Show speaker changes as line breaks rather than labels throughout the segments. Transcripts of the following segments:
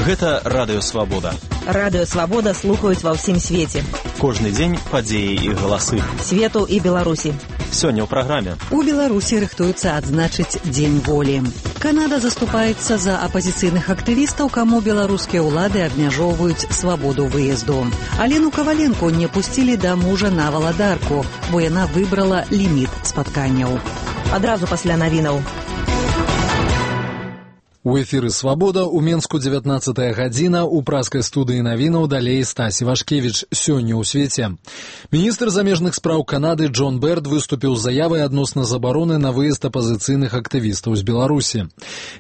Гэта Радыё Свабода.
Радыё Свабода слухаюць ва ўсім свеце.
Кожны дзень падзеі і галасы.
Свету і Беларусі.
Сёння ў праграме.
У Беларусі рыхтуюцца адзначыць Дзень волі. Канада заступаецца за апазіцыйных актывістаў, каму беларускія ўлады абмяжоўваюць свабоду выезду. Алену Каваленко не пусцілі да мужа на валадарку, бо яна выбрала ліміт спатканняў.
Адразу пасля навінаў.
У эфіры «Свабода» у Менску 19 гадзіна, у праскай студыі навінаў далей Стась Івашкевіч. Сёння ў свеце. Міністр замежных спраў Канады Джон Берд выступіў з заявай адносна забароны на выезд апазіцыйных актывістаў з Беларусі.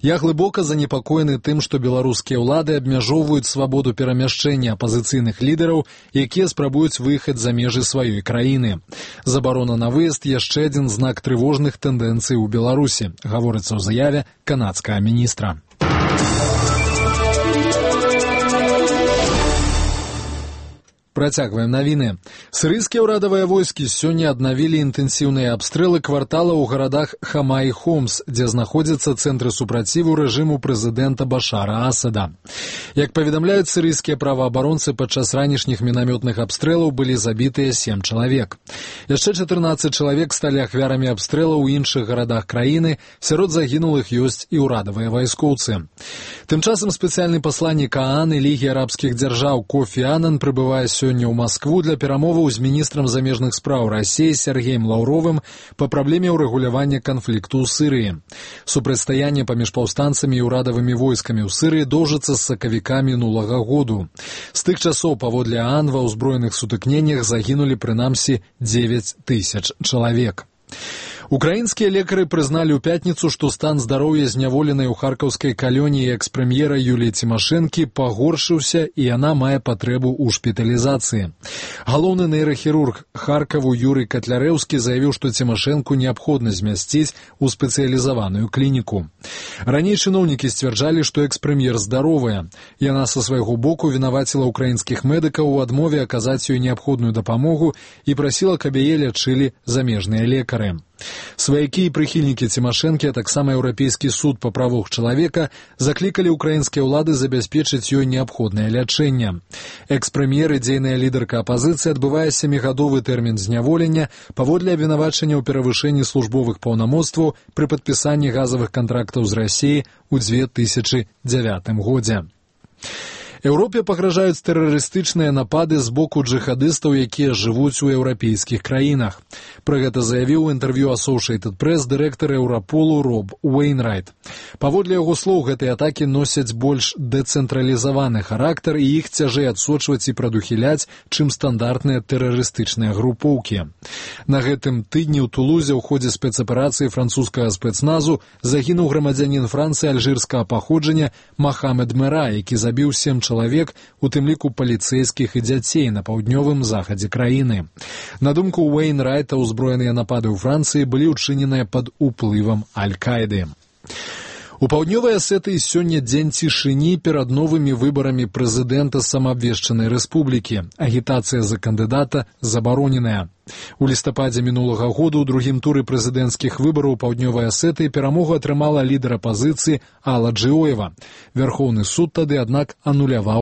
Я глыбока занепакоены тым, што беларускія ўлады абмяжоўваюць свабоду перамяшчэння апазіцыйных лідараў, якія спрабуюць выехаць за межы сваёй краіны. Забарона на выезд яшчэ адзін знак трывожных тэндэнцый у Беларусі, гаворыцца ў заяве канадскага міністра. Працягваем навіны. Сірыйскія ўрадавыя войскі сёння аднавілі інтэнсіўныя абстрэлы квартала ў гарадах Хама і Хомс, дзе знаходзяцца цэнтры супраціву рэжыму прэзідэнта Башара Асада. Як паведамляюць сірыйскія праваабаронцы, падчас ранішніх мінамётных абстрэлаў былі забітыя 7 чалавек. Яшчэ 14 чалавек сталі ахвярамі абстрэлаў у іншых гарадах краіны, сярод загінулых ёсць і ўрадавыя вайскоўцы. Тым часам спецыяльны пасланнік ААН і Лігі арабскіх дзяржаў Кофі Анан прыбывае сёння ў Маскву для перамоваў з міністрам замежных спраў Расіі Сергеем Лаўровым па праблеме ўрэгулявання канфлікту ў Сірыі. Супрацьстаянне паміж паўстанцамі і ўрадавымі войскамі ў Сірыі доўжыцца з сакавіка мінулага году. З тых часоў паводле ААН ва ўзброеных сутыкненнях загінулі прынамсі 9 тысяч чалавек. Украінскія лекары прызналі ў пятніцу, што стан здароўя зняволенай у харкаўскай калоніі экс-прэм'ера Юліі Цімашэнкі пагоршыўся і яна мае патрэбу ў шпіталізацыі. Галоўны нейрахірург Харкаву Юрый Катлярэўскі заявіў, што Цімашэнку неабходна змясціць у спецыялізаваную клініку. Раней чыноўнікі сцвярджалі, што экс-прэм'ер здаровая. Яна са свайго боку вінаваціла украінскіх медыкаў у адмове аказаць ёй неабходную дапамогу і прасіла, каб яе лячылі замежныя лекары. Сваякі і прыхільнікі Цімашэнкі, а таксама Еўрапейскі суд па правах чалавека заклікалі ўкраінскія ўлады забяспечыць ёй неабходнае лячэнне. Экс-прэм'ер і дзейная лідарка апазіцыі адбывае 7-гадовы тэрмін зняволення паводле абвінавачання ў перавышэнні службовых паўнамоцтваў пры падпісанні газавых кантрактаў з Расіяй у 2009 годзе. Еўропе пагражаюць тэрарыстычныя напады з боку джыхадыстаў, якія жывуць у еўрапейскіх краінах. Пра гэта заявіў у інтэрв'ю Associated Press дырэктар Еўраполу Роб Уэйнрайт. Паводле яго слоў, гэтыя атакі носяць больш дэцэнтралізаваны характар і іх цяжэй адсочваць і прадухіляць, чым стандартныя тэрарыстычныя групоўкі. На гэтым тыдні ў Тулузе ў ходзе спецаперацыі французскага спецназу загінуў грамадзянін Францыі альжырскага паходжання Махамед Мера, які забіў 7 чалавек, у тым ліку паліцэйскіх і дзяцей на паўднёвым захадзе краіны. На думку Уэйнрайта, узброеныя напады ў Францыі былі ўчыненыя пад уплывам Аль-Каіды. У паўднёвай Асетыі сёння дзень цішыні перад новымі выбарамі прэзідэнта самаабвешчанай рэспублікі. Агітацыя за кандыдата забароненая. У лістападзе мінулага году ў другім туры прэзідэнцкіх выбараў паўднёвай Асетыі перамогу атрымала лідар апазіцыі Алла Джыоева. Вярхоўны суд тады, аднак, ануляваў